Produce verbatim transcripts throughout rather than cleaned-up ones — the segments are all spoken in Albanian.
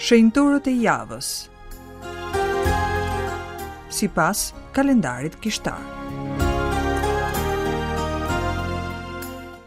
Shenjtorët e javës sipas kalendarit kishtar.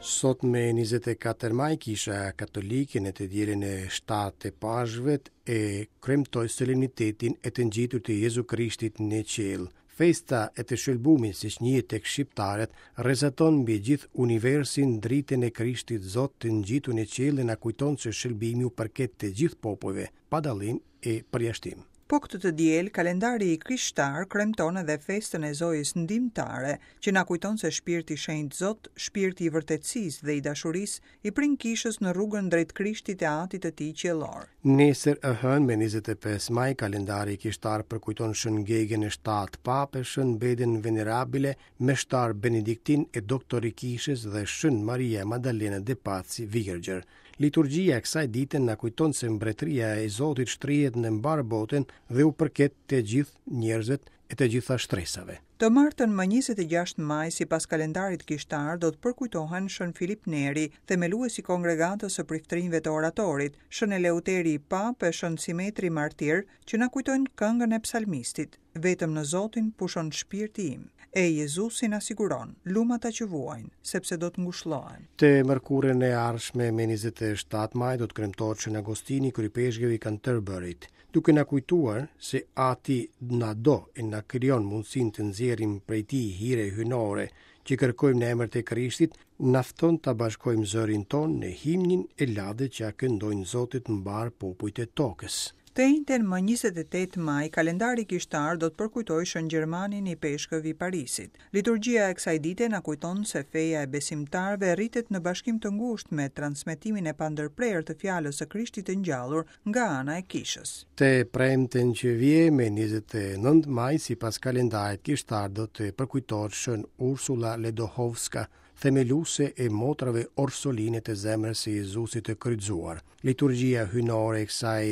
Sot me njëzet e katër maj, Kisha Katolike në të dielën e shtatë të Pashkëve e kremtoi solemnitetin e të ngjitur të Jezu Krishtit në qiell. Festa e të shëlbumit, siç njihet tek shqiptarët, rrezaton mbi gjithë universin dritën e Krishtit Zot të ngjitur në qiell dhe na kujton se shëlbimi u përket të gjithë popujve, pa dallim e përjashtim. Po këtë të diel, kalendari i krishtar kremton edhe festën e Zojës Ndihmëtare, që na kujton se shpirti i shenjt Zot, shpirti i vërtetësisë dhe i dashurisë, i prin kishës në rrugën drejt Krishtit e Atit të Tij qiellor. Nesër e hënë me njëzet e pesë maj, kalendari kishtar përkujton Shën Gegën e shtatë Papë, Shën Beden Venerabile, meshtar Benediktin e doktor i kishës dhe Shën Maria Maddalena de Pazzi Virgjër. Liturgjia e kësaj dite na kujton se mbretëria e Zotit shtrihet në mbarë botën dhe u përket të gjithë njerëzve e të gjitha shtresave. Të martën më njëzet e gjashtë maj, sipas kalendarit kishtar, do të përkujtohen Shën Filip Neri, themelues i kongregatës së priftërinjve të oratorit, Shën Eleuteri i Papë e Shën Simetri Martir, që na kujtojnë këngën e psalmistit, Vetëm në Zotin pushon shpirti im. E Jezusi na siguron, lum ata që vuajnë, sepse do të ngushllohen. Të mërkurën e ardhshme me njëzet e shtatë maj do të kremtohet Shën Agostini, kryepeshkëvi i Canterburyt, duke na kujtuar se Ati na do e na krijon mundësinë të nxjerrim prej tij hire hyjnore që kërkojmë në emër të Krishtit, na fton ta bashkojmë zërin ton në himnin e lavdit që a këndojnë Zotit mbar popujt e tokës. Të enjten më njëzet e tetë maj, kalendari kishtar do të përkujtojë Shën Gjermanin i Peshkëv i Parisit. Liturgjia e kësaj dite na kujton se feja e besimtarëve rritet në bashkim të ngushtë me transmetimin e pandërprerë të fjalës së Krishtit të ngjallur nga ana e kishës. Të premten që vje me njëzet e nëntë maj, sipas kalendarit kishtar, do të përkujtohet Shën Ursula Ledohovska, themeluese e motrave Orsoline të zemrës së Jezusit të kryqëzuar. Liturgjia hyjnore e kësaj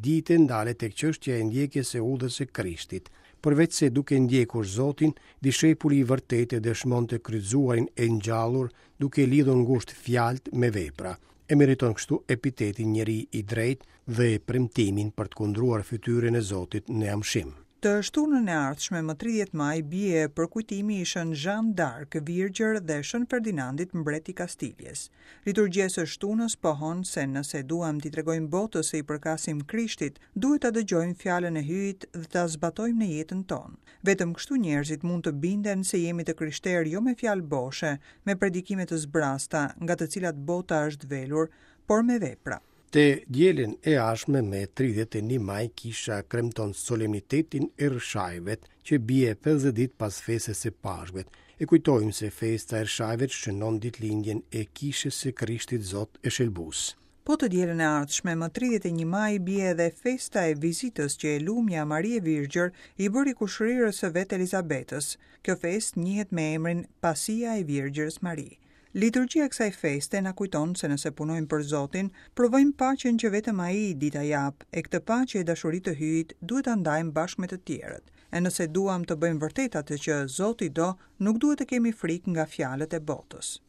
dite ndalet tek çështja e ndjekjes së udhës së Krishtit. Përveç se duke ndjekur Zotin, dishepulli i vërtetë e dëshmon të kryqëzuarin e ngjallur duke lidhur ngushtë fjalët me vepra. E meriton kështu epitetin njeri i drejtë dhe premtimin për të kundruar fytyrën e Zotit në amshim. Të shtunën e ardhshme më tridhjetë maj bie përkujtimi i Shën Jean d'Arc, Virgjër dhe Shën Ferdinandit, mbret i Kastiljes. Liturgjia e së shtunës pohon se nëse duam t'i tregojmë botës se i përkasim Krishtit, duhet ta dëgjojmë fjalën e Hyjit dhe ta zbatojmë në jetën tonë. Vetëm kështu njerëzit mund të binden se jemi të krishterë jo me fjalë boshe, me predikime të zbrasta, nga të cilat bota është velur, por me vepra. Të dielën e ardhshme me tridhjetë e një maj kisha kremton solemnitetin e Rrshajvet, që bie pesëdhjetë ditë pas festës së Pashkëve. E kujtojmë se festa e Rrshajvet shënon ditëlindjen e kishës së Krishtit Zot e Shëlbues. Po të dielën e ardhshme më tridhjetë e një maj bie edhe festa e vizitës që e lumja Marie Virgjër i bëri kushërirës së vet Elizabetës. Kjo festë njihet me emrin Pasia e Virgjërës Mari. Liturgjia e kësaj feste na kujton se nëse punojmë për Zotin, provojmë paqen që vetëm Ai di ta jap, e këtë paqe e dashuri të Hyjit duhet ta ndajmë bashkë me të tjerët. E nëse duam të bëjmë vërtet atë që Zoti do, nuk duhet të kemi frikë nga fjalët e botës.